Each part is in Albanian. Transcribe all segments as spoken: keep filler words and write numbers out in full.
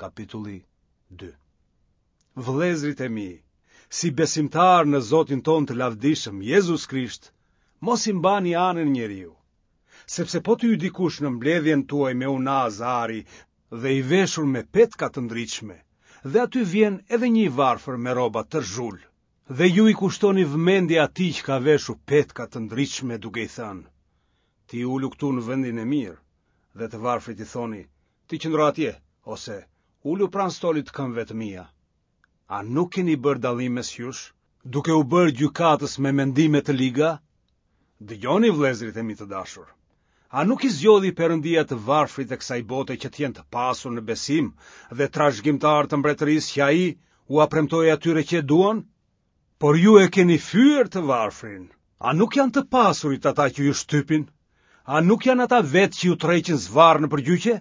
Kapitulli dy. Vëllezërit e mi, si besimtarë në Zotin tonë të lavdishëm, Jezus Krisht, mos i mbani anën njeriu. Sepse po të hyjë dikush në mbledhjen tuaj me unazë ari dhe i veshur me petka të ndritshme, dhe aty vjen edhe një i varfër me rroba tërë zhul, dhe ju i kushtoni vëmendje atij që ka veshur petka të ndritshme duke i thënë, ti ulu këtu në vendin e mirë, dhe të varfrit i thoni, ti qëndro atje, ose ulu pranë stolit të këmbëve të mia. A nuk keni bërë dallim mes jush, duke u bërë gjykatës me mendime të liga? Dëgjoni vëllezërit e mi të dashur. A nuk i zgjodhi Perëndia të varfrit e kësaj bote që të jenë të pasur në besim dhe trashëgimtarë të mbretërisë që ai ua premtoi atyre që e duan? Por ju e keni fyer të varfrin. A nuk janë të pasurit ata që ju shtypin? A nuk janë ata vetë që ju tërheqin zvarrë nëpër gjyqe?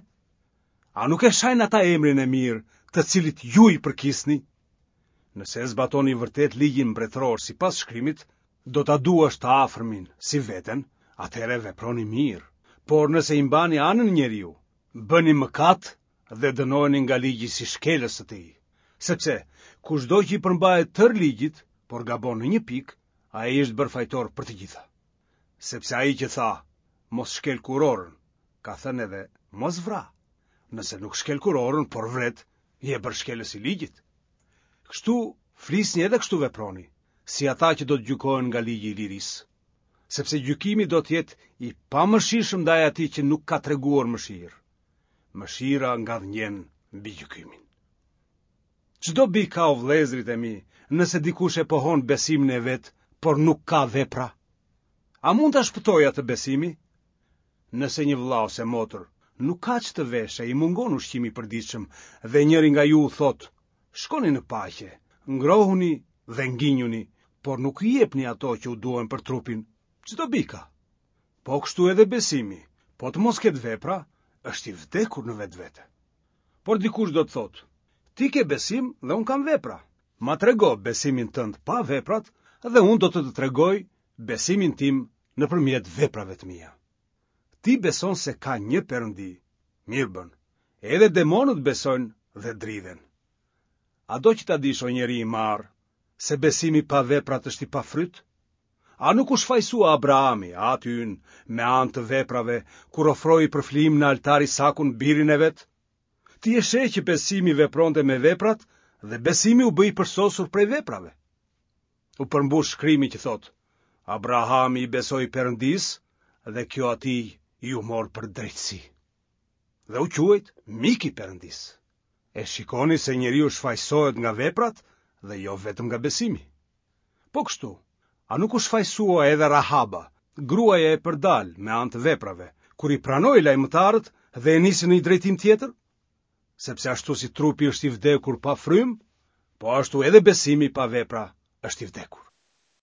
A nuk e shajnë ata emrin e mirë, të cilit ju i përkisni? Nëse e zbatoni vërtet ligjin mbretëror sipas shkrimit, do ta duash të afërmin si veten, atëherë veproni mirë. Por nëse i mbani anën njeriu, bëni mëkat dhe dënoheni nga ligji si shkelës të tij. Sepse kushdo që i përmbahet tërë ligjit, por gabon në një pikë, ai është bërë fajtor për të gjitha. Sepse ai që tha, mos shkel kurorën, ka thënë edhe mos vra. Nëse nuk shkel kurorën, por vret, je bërë shkelës i ligjit. Kështu flisni edhe kështu veproni, si ata që do të gjykohen nga ligji i lirisë. Sepse gjykimi do të jetë i pamëshirshëm ndaj atij që nuk ka treguar mëshirë. Mëshira ngadhënjen mbi gjykimin. Ç'dobi ka o vëllezërit e mi, nëse dikush e pohon besimin e vet, por nuk ka vepra? A mund ta shpëtojë atë besimi? Nëse një vëlla ose motër nuk ka ç'të veshë, i mungon ushqimi i përditshëm dhe njëri nga ju u thotë, shkoni në paqe, ngrohuni dhe nginjuni, por nuk i jepni ato që u duhen për trupin, ç'dobi ka? Po kështu edhe besimi, po të mos ketë vepra, është i vdekur në vetvete. Por dikush do të thotë, ti ke besim dhe unë kam vepra. Ma trego besimin tënd pa veprat dhe unë do të të tregoj besimin tim nëpërmjet veprave të mia. Ti beson se ka një Perëndi, mirë bën. Edhe demonët besojnë dhe dridhen. A do që ta dish o njeri i marrë, se besimi pa veprat është i pafryt? A nuk u shfajsua Abrahami, ati ynë, me anë të veprave, kur ofroi për flijim në altar Isakun birin e vet? Ti e sheh që besimi vepronte me veprat dhe besimi u bë i përsosur prej veprave. U përmbush shkrimi që thotë, Abrahami i besoi Perëndisë dhe kjo atij iu mor për drejtësi. Dhe u quajt mik i Perëndisë. E shikoni se njeriu shfajsohet nga veprat dhe jo vetëm nga besimi. Po kështu, a nuk u shfajsua edhe Rahaba, gruaja e përdal me anë të veprave, kur i pranoi lajmëtarët dhe e nisi në një drejtim tjetër? Sepse ashtu si trupi është i vdekur pa frymë, po ashtu edhe besimi pa vepra është i vdekur.